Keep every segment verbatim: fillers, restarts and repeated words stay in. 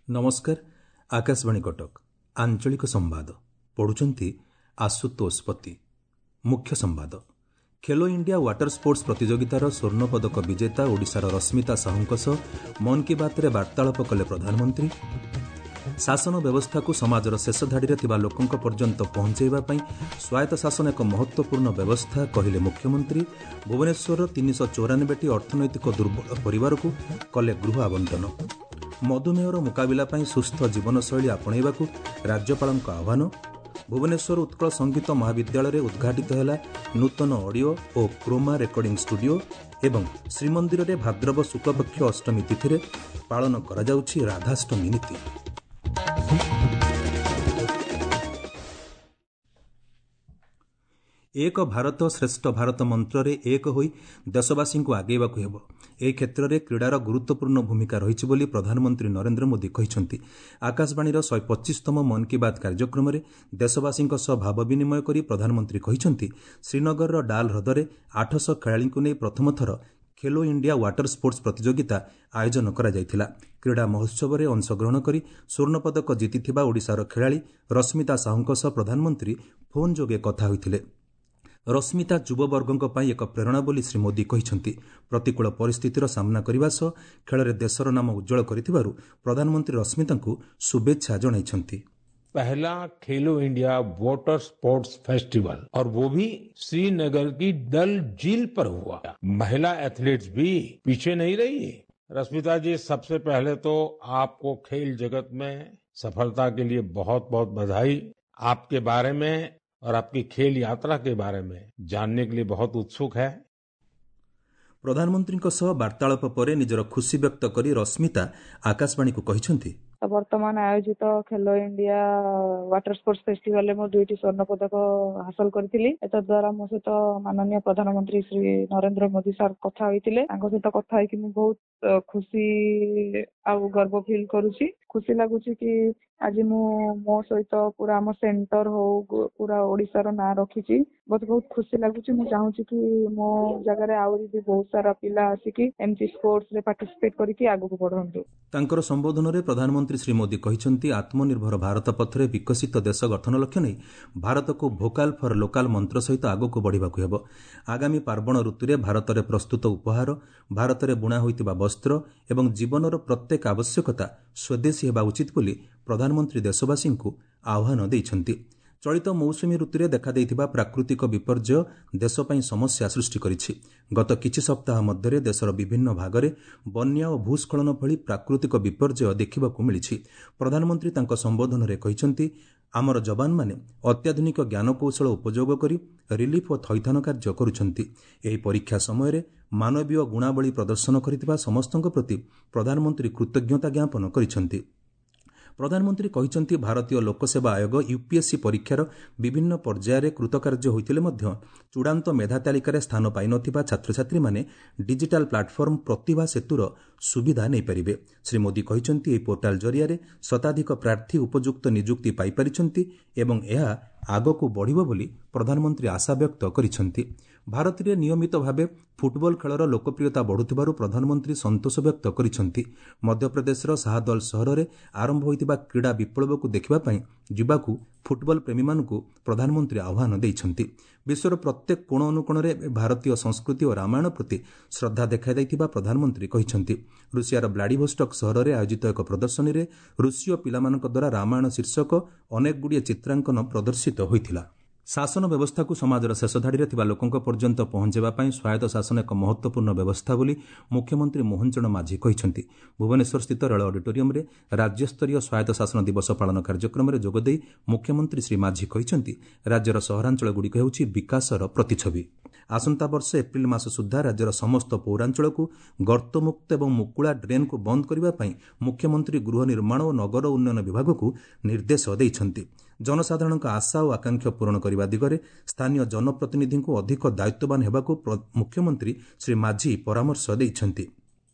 ନମସ୍କାର, ଆକାଶବାଣୀ କଟକ, ଆଞ୍ଚଳିକ ସମ୍ବାଦ ପଢୁଛନ୍ତି ଆଶୁତୋଷ ପତି। ମୁଖ୍ୟ ସମ୍ବାଦ। ଖେଲୋ ଇଣ୍ଡିଆ ୱାଟର ସ୍ପୋର୍ଟସ୍ ପ୍ରତିଯୋଗିତାର ସ୍ୱର୍ଣ୍ଣପଦକ ବିଜେତା ଓଡ଼ିଶାର ରଶ୍ମିତା ସାହୁଙ୍କ ସହ ମନ୍ କି ବାତ୍ରେ ବାର୍ତ୍ତାଳାପ କଲେ ପ୍ରଧାନମନ୍ତ୍ରୀ। ଶାସନ ବ୍ୟବସ୍ଥାକୁ ସମାଜର ଶେଷ ଧାଡ଼ିରେ ଥିବା ଲୋକଙ୍କ ପର୍ଯ୍ୟନ୍ତ ପହଞ୍ଚାଇବା ପାଇଁ ସ୍ୱାୟତ୍ତ ଶାସନ ଏକ ମହତ୍ତ୍ୱପୂର୍ଣ୍ଣ ବ୍ୟବସ୍ଥା, କହିଲେ ମୁଖ୍ୟମନ୍ତ୍ରୀ। ଭୁବନେଶ୍ୱରର ତିନିଶହ ଚଉରାନବେଟି ଅର୍ଥନୈତିକ ଦୁର୍ବଳ ପରିବାରକୁ କଲେ ଗୃହ ଆବଣ୍ଟନ। ମଧୁମେହର ମୁକାବିଲା ପାଇଁ ସୁସ୍ଥ ଜୀବନଶୈଳୀ ଆପଣେଇବାକୁ ରାଜ୍ୟପାଳଙ୍କ ଆହ୍ୱାନ। ଭୁବନେଶ୍ୱର ଉତ୍କଳ ସଙ୍ଗୀତ ମହାବିଦ୍ୟାଳୟରେ ଉଦ୍ଘାଟିତ ହେଲା ନୂତନ ଅଡିଓ ଓ କ୍ରୋମା ରେକର୍ଡିଂ ଷ୍ଟୁଡିଓ। ଏବଂ ଶ୍ରୀମନ୍ଦିରରେ ଭାଦ୍ରବ ଶୁକ୍ଳପକ୍ଷ ଅଷ୍ଟମୀ ତିଥିରେ ପାଳନ କରାଯାଉଛି ରାଧାଷ୍ଟମୀ ନୀତି। ଏକ ଭାରତ ଶ୍ରେଷ୍ଠ ଭାରତ ମନ୍ତ୍ରରେ ଏକ ହୋଇ ଦେଶବାସୀଙ୍କୁ ଆଗେଇବାକୁ ହେବ। ଏହି କ୍ଷେତ୍ରରେ କ୍ରୀଡ଼ାର ଗୁରୁତ୍ୱପୂର୍ଣ୍ଣ ଭୂମିକା ରହିଛି ବୋଲି ପ୍ରଧାନମନ୍ତ୍ରୀ ନରେନ୍ଦ୍ର ମୋଦି କହିଛନ୍ତି। ଆକାଶବାଣୀର ଶହେ ପଚିଶତମ ମନ୍ କି ବାତ୍ କାର୍ଯ୍ୟକ୍ରମରେ ଦେଶବାସୀଙ୍କ ସହ ଭାବ ବିନିମୟ କରି ପ୍ରଧାନମନ୍ତ୍ରୀ କହିଛନ୍ତି, ଶ୍ରୀନଗରର ଡାଲ୍ ହ୍ରଦରେ ଆଠଶହ ଖେଳାଳିଙ୍କୁ ନେଇ ପ୍ରଥମ ଥର ଖେଲୋ ଇଣ୍ଡିଆ ୱାଟର ସ୍ପୋର୍ଟସ୍ ପ୍ରତିଯୋଗିତା ଆୟୋଜନ କରାଯାଇଥିଲା। କ୍ରୀଡ଼ା ମହୋତ୍ସବରେ ଅଂଶଗ୍ରହଣ କରି ସ୍ୱର୍ଣ୍ଣପଦକ ଜିତିଥିବା ଓଡ଼ିଶାର ଖେଳାଳି ରଶ୍ମିତା ସାହୁଙ୍କ ସହ ପ୍ରଧାନମନ୍ତ୍ରୀ ଫୋନ୍ ଯୋଗେ କଥା ହୋଇଥିଲେ। ରଶ୍ମିତା ଯୁବବର୍ଗଙ୍କ ପାଇଁ ଏକ ପ୍ରେରଣା ବୋଲି ଶ୍ରୀ ମୋଦି କହିଛନ୍ତି। ପ୍ରତିକୂଳ ପରିସ୍ଥିତିର ସାମ୍ନା କରିବା ସହ ଖେଳରେ ଦେଶର ନାମ ଉଜ୍ଜ୍ୱଳ କରିଥିବାରୁ ପ୍ରଧାନମନ୍ତ୍ରୀ ରଶ୍ମିତାଙ୍କୁ ଶୁଭେଚ୍ଛା ଜଣାଇଛନ୍ତି। पहला खेलो इंडिया वाटर स्पोर्ट्स फेस्टिवल, और वो भी श्रीनगर की डल झील पर हुआ। महिला एथलीट्स भी पीछे नहीं रही। रश्मिता जी, सबसे पहले तो आपको खेल जगत में सफलता के लिए बहुत बहुत बधाई। आपके बारे में और आपकी खेल यात्रा के बारे में जानने के लिए बहुत उत्सुक है। ପ୍ରଧାନମନ୍ତ୍ରୀଙ୍କ ସହ ବାର୍ତ୍ତାଳାପ ପରେ ନିଜର ଖୁସି ବ୍ୟକ୍ତ କରି ରଶ୍ମିତା ଆକାଶବାଣୀକୁ କହିଛନ୍ତି, ତ ବର୍ତ୍ତମାନ ଆୟୋଜିତ ଖେଲୋ ଇଣ୍ଡିଆ ୱାଟର ସ୍ପୋର୍ଟସ ଫେଷ୍ଟିଭାଲରେ ମୁଁ ଦୁଇଟି ସ୍ୱର୍ଣ୍ଣ ପଦକ ହାସଲ କରିଥିଲି। ଏତଦ୍ୱାରା ମୋ ସହିତ ମାନନୀୟ ପ୍ରଧାନମନ୍ତ୍ରୀ ଶ୍ରୀ ନରେନ୍ଦ୍ର ମୋଦି ସାର୍ କଥା ହୋଇଥିଲେ। ତାଙ୍କ ସହିତ କଥା ହେଇକି ମୁଁ ବହୁତ ଖୁସି ଆଉ ଗର୍ବ ଫିଲ୍ କରୁଛି। ଖୁସି ଲାଗୁଛି କି ଆଜି ମୁଁ ମୋ ସହିତ ପୁରା ଆମ ସେଣ୍ଟର ହଉ, ପୁରା ଓଡ଼ିଶାର ନାଁ ରଖିଛି। ମତେ ବହୁତ ଖୁସି ଲାଗୁଛି। ମୁଁ ଚାହୁଁଛି କି ମୋ ଜାଗାରେ ଆହୁରି ବି ବହୁତ ସାରା ପିଲା ଆସିକି ଏମିତି ସ୍ପୋର୍ଟସରେ ପାର୍ଟିସିପେଟ କରିକି ଆଗକୁ ବଢନ୍ତୁ। ତାଙ୍କର ସମ୍ବୋଧନରେ ପ୍ରଧାନମନ୍ତ୍ରୀ ଶ୍ରୀ ମୋଦି କହିଛନ୍ତି, ଆତ୍ମନିର୍ଭର ଭାରତ ପଥରେ ବିକଶିତ ଦେଶ ଗଠନ ଲକ୍ଷ୍ୟ ନେଇ ଭାରତକୁ ଭୋକାଲ ଫର ଲୋକାଲ ମନ୍ତ୍ର ସହିତ ଆଗକୁ ବଢ଼ିବାକୁ ହେବ। ଆଗାମୀ ପାର୍ବଣ ଋତୁରେ ଭାରତରେ ପ୍ରସ୍ତୁତ ଉପହାର, ଭାରତରେ ବୁଣା ହୋଇଥିବା ବସ୍ତ୍ର ଏବଂ ଜୀବନର ପ୍ରତ୍ୟେକ ଆବଶ୍ୟକତା ସ୍ୱଦେଶୀ ହେବା ଉଚିତ ବୋଲି ପ୍ରଧାନମନ୍ତ୍ରୀ ଦେଶବାସୀଙ୍କୁ ଆହ୍ୱାନ ଦେଇଛନ୍ତି। ଚଳିତ ମୌସୁମୀ ଋତୁରେ ଦେଖାଦେଇଥିବା ପ୍ରାକୃତିକ ବିପର୍ଯ୍ୟୟ ଦେଶ ପାଇଁ ସମସ୍ୟା ସୃଷ୍ଟି କରିଛି। ଗତ କିଛି ସପ୍ତାହ ମଧ୍ୟରେ ଦେଶର ବିଭିନ୍ନ ଭାଗରେ ବନ୍ୟା ଓ ଭୂସ୍ଖଳନ ଭଳି ପ୍ରାକୃତିକ ବିପର୍ଯ୍ୟୟ ଦେଖିବାକୁ ମିଳିଛି। ପ୍ରଧାନମନ୍ତ୍ରୀ ତାଙ୍କ ସମ୍ବୋଧନରେ କହିଛନ୍ତି, ଆମର ଯବାନମାନେ ଅତ୍ୟାଧୁନିକ ଜ୍ଞାନକୌଶଳ ଉପଯୋଗ କରି ରିଲିଫ୍ ଓ ଥଇଥାନ କାର୍ଯ୍ୟ କରୁଛନ୍ତି। ଏହି ପରୀକ୍ଷା ସମୟରେ ମାନବୀୟ ଗୁଣାବଳୀ ପ୍ରଦର୍ଶନ କରିଥିବା ସମସ୍ତଙ୍କ ପ୍ରତି ପ୍ରଧାନମନ୍ତ୍ରୀ କୃତଜ୍ଞତା ଜ୍ଞାପନ କରିଛନ୍ତି। ପ୍ରଧାନମନ୍ତ୍ରୀ କହିଛନ୍ତି, ଭାରତୀୟ ଲୋକସେବା ଆୟୋଗ ୟୁପିଏସ୍ସି ପରୀକ୍ଷାର ବିଭିନ୍ନ ପର୍ଯ୍ୟାୟରେ କୃତକାର୍ଯ୍ୟ ହୋଇଥିଲେ ମଧ୍ୟ ଚୂଡ଼ାନ୍ତ ମେଧା ତାଲିକାରେ ସ୍ଥାନ ପାଇନଥିବା ଛାତ୍ରଛାତ୍ରୀମାନେ ଡିଜିଟାଲ ପ୍ଲାଟଫର୍ମ ପ୍ରତିଭା ସେତୁର ସୁବିଧା ନେଇପାରିବେ। ଶ୍ରୀ ମୋଦି କହିଛନ୍ତି, ଏହି ପୋର୍ଟାଲ ଜରିଆରେ ଶତାଧିକ ପ୍ରାର୍ଥୀ ଉପଯୁକ୍ତ ନିଯୁକ୍ତି ପାଇପାରିଛନ୍ତି ଏବଂ ଏହା ଆଗକୁ ବଢ଼ିବ ବୋଲି ପ୍ରଧାନମନ୍ତ୍ରୀ ଆଶାବ୍ୟକ୍ତ କରିଛନ୍ତି। ଭାରତରେ ନିୟମିତ ଭାବେ ଫୁଟବଲ ଖେଳର ଲୋକପ୍ରିୟତା ବଢ଼ୁଥିବାରୁ ପ୍ରଧାନମନ୍ତ୍ରୀ ସନ୍ତୋଷ ବ୍ୟକ୍ତ କରିଛନ୍ତି। ମଧ୍ୟପ୍ରଦେଶର ଶାହଦଲ ସହରରେ ଆରମ୍ଭ ହୋଇଥିବା କ୍ରୀଡ଼ା ବିପ୍ଳବକୁ ଦେଖିବା ପାଇଁ ଯିବାକୁ ଫୁଟବଲ ପ୍ରେମୀମାନଙ୍କୁ ପ୍ରଧାନମନ୍ତ୍ରୀ ଆହ୍ୱାନ ଦେଇଛନ୍ତି। ବିଶ୍ୱର ପ୍ରତ୍ୟେକ କୋଣ ଅନୁକୋଣରେ ଭାରତୀୟ ସଂସ୍କୃତି ଓ ରାମାୟଣ ପ୍ରତି ଶ୍ରଦ୍ଧା ଦେଖାଯାଇଥିବା ପ୍ରଧାନମନ୍ତ୍ରୀ କହିଛନ୍ତି। ରୁଷିଆର ବ୍ଲାଡିଭୋଷ୍ଟକ୍ ସହରରେ ଆୟୋଜିତ ଏକ ପ୍ରଦର୍ଶନୀରେ ରୁଷୀୟ ପିଲାମାନଙ୍କ ଦ୍ୱାରା ରାମାୟଣ ଶୀର୍ଷକ ଅନେକଗୁଡ଼ିଏ ଚିତ୍ରାଙ୍କନ ପ୍ରଦର୍ଶିତ ହୋଇଥିଲା। ଶାସନ ବ୍ୟବସ୍ଥାକୁ ସମାଜର ଶେଷ ଧାଡ଼ିରେ ଥିବା ଲୋକଙ୍କ ପର୍ଯ୍ୟନ୍ତ ପହଞ୍ଚାଇବା ପାଇଁ ସ୍ୱାୟତ୍ତ ଶାସନ ଏକ ମହତ୍ତ୍ୱପୂର୍ଣ୍ଣ ବ୍ୟବସ୍ଥା ବୋଲି ମୁଖ୍ୟମନ୍ତ୍ରୀ ମୋହନ ଚରଣ ମାଝୀ କହିଛନ୍ତି। ଭୁବନେଶ୍ୱରସ୍ଥିତ ରେଳ ଅଡିଟୋରିୟମରେ ରାଜ୍ୟସ୍ତରୀୟ ସ୍ୱାୟତ୍ତ ଶାସନ ଦିବସ ପାଳନ କାର୍ଯ୍ୟକ୍ରମରେ ଯୋଗଦେଇ ମୁଖ୍ୟମନ୍ତ୍ରୀ ଶ୍ରୀ ମାଝୀ କହିଛନ୍ତି, ରାଜ୍ୟର ସହରାଞ୍ଚଳଗୁଡ଼ିକ ହେଉଛି ବିକାଶର ପ୍ରତିଛବି। ଆସନ୍ତା ବର୍ଷ ଏପ୍ରିଲ ମାସ ସୁଦ୍ଧା ରାଜ୍ୟର ସମସ୍ତ ପୌରାଞ୍ଚଳକୁ ଗର୍ତ୍ତମୁକ୍ତ ଏବଂ ମୁକୁଳା ଡ୍ରେନ୍କୁ ବନ୍ଦ କରିବା ପାଇଁ ମୁଖ୍ୟମନ୍ତ୍ରୀ ଗୃହ ନିର୍ମାଣ ଓ ନଗର ଉନ୍ନୟନ ବିଭାଗକୁ ନିର୍ଦ୍ଦେଶ ଦେଇଛନ୍ତି। ଜନସାଧାରଣଙ୍କ ଆଶା ଓ ଆକାଂକ୍ଷା ପୂରଣ କରିବା ଦିଗରେ ସ୍ଥାନୀୟ ଜନପ୍ରତିନିଧିଙ୍କୁ ଅଧିକ ଦାୟିତ୍ୱବାନ ହେବାକୁ ମୁଖ୍ୟମନ୍ତ୍ରୀ ଶ୍ରୀ ମାଝୀ ପରାମର୍ଶ ଦେଇଛନ୍ତି।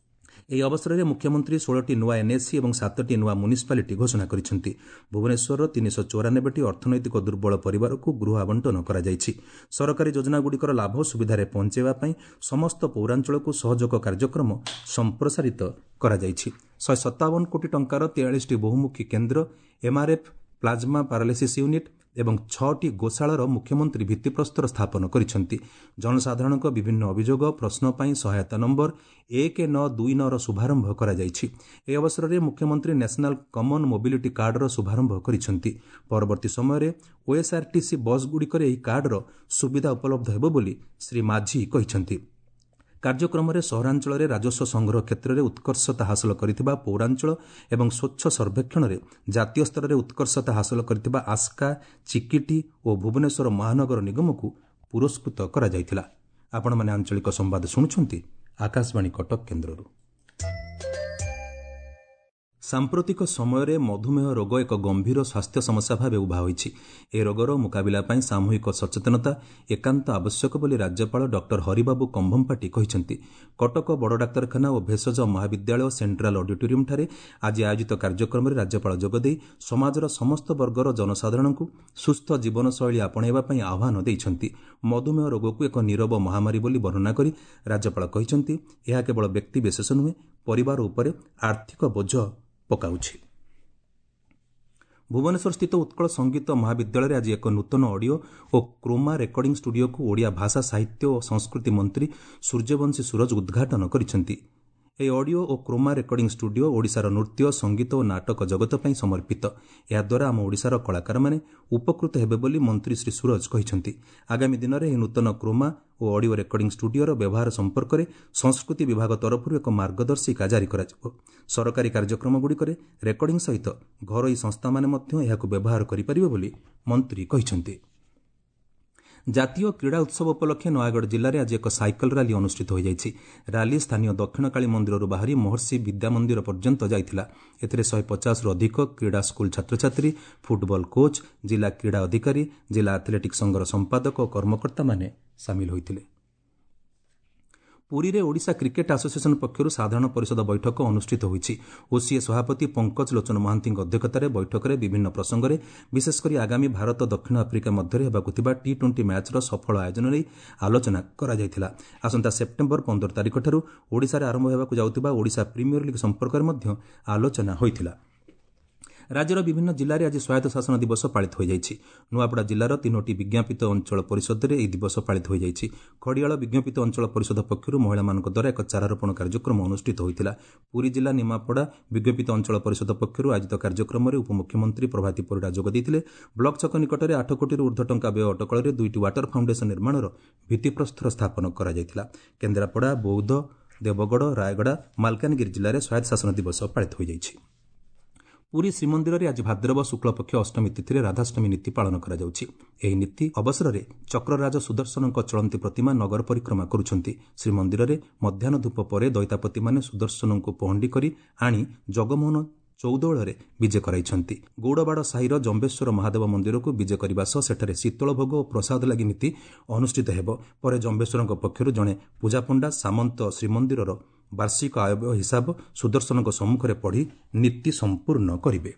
ଏହି ଅବସରରେ ମୁଖ୍ୟମନ୍ତ୍ରୀ ଷୋହଳଟି ନୂଆ ଏନ୍ଏସି ଏବଂ ସାତଟି ନୂଆ ମ୍ୟୁନିସିପାଲିଟି ଘୋଷଣା କରିଛନ୍ତି। ଭୁବନେଶ୍ୱରର ତିନିଶହ ଚଉରାନବେଟି ଅର୍ଥନୈତିକ ଦୁର୍ବଳ ପରିବାରକୁ ଗୃହ ଆବଣ୍ଟନ କରାଯାଇଛି। ସରକାରୀ ଯୋଜନାଗୁଡ଼ିକର ଲାଭ ସୁବିଧାରେ ପହଞ୍ଚାଇବା ପାଇଁ ସମସ୍ତ ପୌରାଞ୍ଚଳକୁ ସହଯୋଗ କାର୍ଯ୍ୟକ୍ରମ ସମ୍ପ୍ରସାରିତ କରାଯାଇଛି। ଶହେ ସତାବନ କୋଟି ଟଙ୍କାର ତେୟାଳିଶଟି ବହୁମୁଖୀ କେନ୍ଦ୍ର, ଏମ୍ଆର୍ଏଫ୍, ପ୍ଲାଜମା ପାରାଲିସିସ୍ ୟୁନିଟ୍ ଏବଂ ଛଅଟି ଗୋଶାଳାର ମୁଖ୍ୟମନ୍ତ୍ରୀ ଭିତ୍ତିପ୍ରସ୍ତର ସ୍ଥାପନ କରିଛନ୍ତି। ଜନସାଧାରଣଙ୍କ ବିଭିନ୍ନ ଅଭିଯୋଗ ପ୍ରଶ୍ନ ପାଇଁ ସହାୟତା ନମ୍ବର ଏକ ନଅ ଦୁଇ ନଅର ଶୁଭାରମ୍ଭ କରାଯାଇଛି। ଏହି ଅବସରରେ ମୁଖ୍ୟମନ୍ତ୍ରୀ ନ୍ୟାସନାଲ୍ କମନ୍ ମୋବିଲିଟି କାର୍ଡର ଶୁଭାରମ୍ଭ କରିଛନ୍ତି। ପରବର୍ତ୍ତୀ ସମୟରେ ଓଏସ୍ଆର୍ଟିସି ବସ୍ଗୁଡ଼ିକରେ ଏହି କାର୍ଡର ସୁବିଧା ଉପଲବ୍ଧ ହେବ ବୋଲି ଶ୍ରୀ ମାଝୀ କହିଛନ୍ତି। କାର୍ଯ୍ୟକ୍ରମରେ ସହରାଞ୍ଚଳରେ ରାଜସ୍ୱ ସଂଗ୍ରହ କ୍ଷେତ୍ରରେ ଉତ୍କର୍ଷତା ହାସଲ କରିଥିବା ପୌରାଞ୍ଚଳ ଏବଂ ସ୍ୱଚ୍ଛ ସର୍ବେକ୍ଷଣରେ ଜାତୀୟ ସ୍ତରରେ ଉତ୍କର୍ଷତା ହାସଲ କରିଥିବା ଆସ୍କା, ଚିକିଟି ଓ ଭୁବନେଶ୍ୱର ମହାନଗର ନିଗମକୁ ପୁରସ୍କୃତ କରାଯାଇଥିଲା। ଆପଣମାନେ ଆଞ୍ଚଳିକ ସମ୍ବାଦ ଶୁଣୁଛନ୍ତି ଆକାଶବାଣୀ କଟକ କେନ୍ଦ୍ରରୁ। ସାମ୍ପ୍ରତିକ ସମୟରେ ମଧୁମେହ ରୋଗ ଏକ ଗମ୍ଭୀର ସ୍ୱାସ୍ଥ୍ୟ ସମସ୍ୟା ଭାବେ ଉଭା ହୋଇଛି। ଏ ରୋଗର ମୁକାବିଲା ପାଇଁ ସାମୂହିକ ସଚେତନତା ଏକାନ୍ତ ଆବଶ୍ୟକ ବୋଲି ରାଜ୍ୟପାଳ ଡକ୍ଟର ହରିବାବୁ କମ୍ଭମପାଟି କହିଛନ୍ତି। କଟକ ବଡ଼ ଡାକ୍ତରଖାନା ଓ ଭେଷଜ ମହାବିଦ୍ୟାଳୟ ସେଣ୍ଟ୍ରାଲ ଅଡିଟୋରିୟମ୍ଠାରେ ଆଜି ଆୟୋଜିତ କାର୍ଯ୍ୟକ୍ରମରେ ରାଜ୍ୟପାଳ ଯୋଗଦେଇ ସମାଜର ସମସ୍ତ ବର୍ଗର ଜନସାଧାରଣଙ୍କୁ ସୁସ୍ଥ ଜୀବନଶୈଳୀ ଆପଣେଇବା ପାଇଁ ଆହ୍ୱାନ ଦେଇଛନ୍ତି। ମଧୁମେହ ରୋଗକୁ ଏକ ନୀରବ ମହାମାରୀ ବୋଲି ବର୍ଣ୍ଣନା କରି ରାଜ୍ୟପାଳ କହିଛନ୍ତି, ଏହା କେବଳ ବ୍ୟକ୍ତିବିଶେଷ ନୁହେଁ, ପରିବାର ଉପରେ ଆର୍ଥିକ ବୋଝ ପକାଉଛି। ଭୁବନେଶ୍ୱରସ୍ଥିତ ଉତ୍କଳ ସଙ୍ଗୀତ ମହାବିଦ୍ୟାଳୟରେ ଆଜି ଏକ ନୂତନ ଅଡିଓ ଓ କ୍ରୋମା ରେକର୍ଡିଂ ଷ୍ଟୁଡିଓକୁ ଓଡ଼ିଆ ଭାଷା, ସାହିତ୍ୟ ଓ ସଂସ୍କୃତି ମନ୍ତ୍ରୀ ସୂର୍ଯ୍ୟବଂଶୀ ସୂରଜ ଉଦ୍ଘାଟନ କରିଛନ୍ତି। ଏହି ଅଡିଓ ଓ କ୍ରୋମା ରେକର୍ଡିଂ ଷ୍ଟୁଡିଓ ଓଡ଼ିଶାର ନୃତ୍ୟ, ସଙ୍ଗୀତ ଓ ନାଟକ ଜଗତ ପାଇଁ ସମର୍ପିତ। ଏହାଦ୍ୱାରା ଆମ ଓଡ଼ିଶାର କଳାକାରମାନେ ଉପକୃତ ହେବେ ବୋଲି ମନ୍ତ୍ରୀ ଶ୍ରୀ ସୂରଜ କହିଛନ୍ତି। ଆଗାମୀ ଦିନରେ ଏହି ନୂତନ କ୍ରୋମା ଓ ଅଡିଓ ରେକର୍ଡିଂ ଷ୍ଟୁଡିଓର ବ୍ୟବହାର ସମ୍ପର୍କରେ ସଂସ୍କୃତି ବିଭାଗ ତରଫରୁ ଏକ ମାର୍ଗଦର୍ଶିକା ଜାରି କରାଯିବ। ସରକାରୀ କାର୍ଯ୍ୟକ୍ରମଗୁଡ଼ିକରେ ରେକର୍ଡିଂ ସହିତ ଘରୋଇ ସଂସ୍ଥାମାନେ ମଧ୍ୟ ଏହାକୁ ବ୍ୟବହାର କରିପାରିବେ ବୋଲି ମନ୍ତ୍ରୀ କହିଛନ୍ତି। ଜାତୀୟ କ୍ରୀଡ଼ା ଉତ୍ସବ ଉପଲକ୍ଷେ ନୟାଗଡ଼ ଜିଲ୍ଲାରେ ଆଜି ଏକ ସାଇକେଲ ରାଲି ଅନୁଷ୍ଠିତ ହୋଇଯାଇଛି। ରାଲି ସ୍ଥାନୀୟ ଦକ୍ଷିଣକାଳୀ ମନ୍ଦିରରୁ ବାହାରି ମହର୍ଷି ବିଦ୍ୟାମନ୍ଦିର ପର୍ଯ୍ୟନ୍ତ ଯାଇଥିଲା। ଏଥିରେ ଶହେ ପଚାଶରୁ ଅଧିକ କ୍ରୀଡ଼ା ସ୍କୁଲ ଛାତ୍ରଛାତ୍ରୀ, ଫୁଟବଲ କୋଚ୍, ଜିଲ୍ଲା କ୍ରୀଡ଼ା ଅଧିକାରୀ, ଜିଲ୍ଲା ଆଥଲେଟିକ୍ ସଂଘର ସମ୍ପାଦକ ଓ କର୍ମକର୍ତ୍ତାମାନେ ସାମିଲ ହୋଇଥିଲେ। ପୁରୀରେ ଓଡ଼ିଶା କ୍ରିକେଟ୍ ଆସୋସିଏସନ୍ ପକ୍ଷରୁ ସାଧାରଣ ପରିଷଦ ବୈଠକ ଅନୁଷ୍ଠିତ ହୋଇଛି। ଓସିଏ ସଭାପତି ପଙ୍କଜ ଲୋଚନ ମହାନ୍ତିଙ୍କ ଅଧ୍ୟକ୍ଷତାରେ ବୈଠକରେ ବିଭିନ୍ନ ପ୍ରସଙ୍ଗରେ, ବିଶେଷକରି ଆଗାମୀ ଭାରତ ଦକ୍ଷିଣ ଆଫ୍ରିକା ମଧ୍ୟରେ ହେବାକୁ ଥିବା ଟି ଟ୍ୱେଣ୍ଟି ମ୍ୟାଚ୍ର ସଫଳ ଆୟୋଜନ ନେଇ ଆଲୋଚନା କରାଯାଇଥିଲା। ଆସନ୍ତା ସେପ୍ଟେମ୍ବର ପନ୍ଦର ତାରିଖଠାରୁ ଓଡ଼ିଶାରେ ଆରମ୍ଭ ହେବାକୁ ଯାଉଥିବା ଓଡ଼ିଶା ପ୍ରିମିୟର ଲିଗ୍ ସମ୍ପର୍କରେ ମଧ୍ୟ ଆଲୋଚନା ହୋଇଥିଲା। ରାଜ୍ୟର ବିଭିନ୍ନ ଜିଲ୍ଲାରେ ଆଜି ସ୍ୱାୟତ୍ତ ଶାସନ ଦିବସ ପାଳିତ ହୋଇଯାଇଛି। ନୂଆପଡ଼ା ଜିଲ୍ଲାର ତିନୋଟି ବିଜ୍ଞାପିତ ଅଞ୍ଚଳ ପରିଷଦରେ ଏହି ଦିବସ ପାଳିତ ହୋଇଯାଇଛି। ଖଡ଼ିଆଳ ବିଜ୍ଞାପିତ ଅଞ୍ଚଳ ପରିଷଦ ପକ୍ଷରୁ ମହିଳାମାନଙ୍କ ଦ୍ୱାରା ଏକ ଚାରାରୋପଣ କାର୍ଯ୍ୟକ୍ରମ ଅନୁଷ୍ଠିତ ହୋଇଥିଲା। ପୁରୀ ଜିଲ୍ଲା ନିମାପଡ଼ା ବିଜ୍ଞାପିତ ଅଞ୍ଚଳ ପରିଷଦ ପକ୍ଷରୁ ଆୟୋଜିତ କାର୍ଯ୍ୟକ୍ରମରେ ଉପମୁଖ୍ୟମନ୍ତ୍ରୀ ପ୍ରଭାତୀ ପରିଡ଼ା ଯୋଗ ଦେଇଥିଲେ। ବ୍ଲକ ଛକ ନିକଟରେ ଆଠ କୋଟିରୁ ଉର୍ଦ୍ଧ୍ୱ ଟଙ୍କା ବ୍ୟୟ ଅଟକଳରେ ଦୁଇଟି ୱାଟର ଫାଉଣ୍ଡେସନ ନିର୍ମାଣର ଭିତ୍ତିପ୍ରସ୍ତର ସ୍ଥାପନ କରାଯାଇଥିଲା। କେନ୍ଦ୍ରାପଡ଼ା, ବୌଦ୍ଧ, ଦେବଗଡ଼, ରାୟଗଡ଼ା, ମାଲକାନଗିରି ଜିଲ୍ଲାରେ ସ୍ୱାୟତ୍ତ ଶାସନ ଦିବସ ପାଳିତ ହୋଇଯାଇଛି। ପୁରୀ ଶ୍ରୀମନ୍ଦିରରେ ଆଜି ଭାଦ୍ରବ ଶୁକ୍ଳପକ୍ଷ ଅଷ୍ଟମୀ ତିଥିରେ ରାଧାଷ୍ଟମୀ ନୀତି ପାଳନ କରାଯାଉଛି। ଏହି ନୀତି ଅବସରରେ ଚକ୍ରରାଜ ସୁଦର୍ଶନଙ୍କ ଚଳନ୍ତି ପ୍ରତିମା ନଗର ପରିକ୍ରମା କରୁଛନ୍ତି। ଶ୍ରୀମନ୍ଦିରରେ ମଧ୍ୟାହ୍ନ ଧୂପ ପରେ ଦଇତାପତିମାନେ ସୁଦର୍ଶନଙ୍କୁ ପହଣ୍ଡି କରି ଆଣି ଜଗମୋହନ ଚଉଦୋଳରେ ବିଜେ କରାଇଛନ୍ତି। ଗୌଡ଼ବାଡ଼ ସାହିର ଜମ୍ବେଶ୍ୱର ମହାଦେବ ମନ୍ଦିରକୁ ବିଜେ କରିବା ସହ ସେଠାରେ ଶୀତଳ ଭୋଗ ଓ ପ୍ରସାଦ ଲାଗି ନୀତି ଅନୁଷ୍ଠିତ ହେବ। ପରେ ଜମ୍ବେଶ୍ୱରଙ୍କ ପକ୍ଷରୁ ଜଣେ ପୂଜାପଣ୍ଡା ସାମନ୍ତ ଶ୍ରୀମନ୍ଦିରର ବାର୍ଷିକ ଆୟବ୍ୟୟ ହିସାବ ସୁଦର୍ଶନଙ୍କ ସମ୍ମୁଖରେ ପଢ଼ି ନୀତି ସମ୍ପୂର୍ଣ୍ଣ କରିବେ।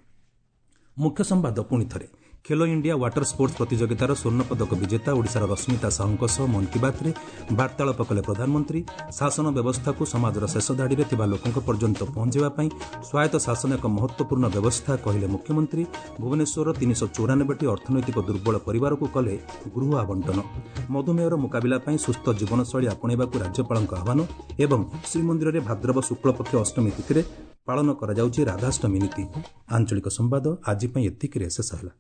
ମୁଖ୍ୟ ସମ୍ବାଦ ପୁଣି ଥରେ। ଖେଲୋ ଇଣ୍ଡିଆ ୱାଟର ସ୍ପୋର୍ଟସ୍ ପ୍ରତିଯୋଗିତାର ସ୍ୱର୍ଣ୍ଣପଦକ ବିଜେତା ଓଡ଼ିଶାର ରଶ୍ମିତା ସାହୁଙ୍କ ସହ ମନ୍ କି ବାତ୍ରେ ବାର୍ତ୍ତାଳାପ କଲେ ପ୍ରଧାନମନ୍ତ୍ରୀ। ଶାସନ ବ୍ୟବସ୍ଥାକୁ ସମାଜର ଶେଷ ଧାଡ଼ିରେ ଥିବା ଲୋକଙ୍କ ପର୍ଯ୍ୟନ୍ତ ପହଞ୍ଚାଇବା ପାଇଁ ସ୍ୱାୟତ୍ତ ଶାସନ ଏକ ମହତ୍ତ୍ୱପୂର୍ଣ୍ଣ ବ୍ୟବସ୍ଥା କହିଲେ ମୁଖ୍ୟମନ୍ତ୍ରୀ। ଭୁବନେଶ୍ୱରର ତିନିଶହ ଚଉରାନବେଟି ଅର୍ଥନୈତିକ ଦୁର୍ବଳ ପରିବାରକୁ କଲେ ଗୃହ ଆବଣ୍ଟନ। ମଧୁମେହର ମୁକାବିଲା ପାଇଁ ସୁସ୍ଥ ଜୀବନଶୈଳୀ ଆପଣେଇବାକୁ ରାଜ୍ୟପାଳଙ୍କ ଆହ୍ୱାନ ଏବଂ ଶ୍ରୀମନ୍ଦିରରେ ଭାଦ୍ରବ ଶୁକ୍ଳପକ୍ଷ ଅଷ୍ଟମୀ ତିଥିରେ ପାଳନ କରାଯାଉଛି ରାଧାଷ୍ଟମୀ ନୀତି। ଆଞ୍ଚଳିକ ସମ୍ବାଦ ଆଜି ପାଇଁ ଏତିକିରେ ଶେଷ ହେଲା।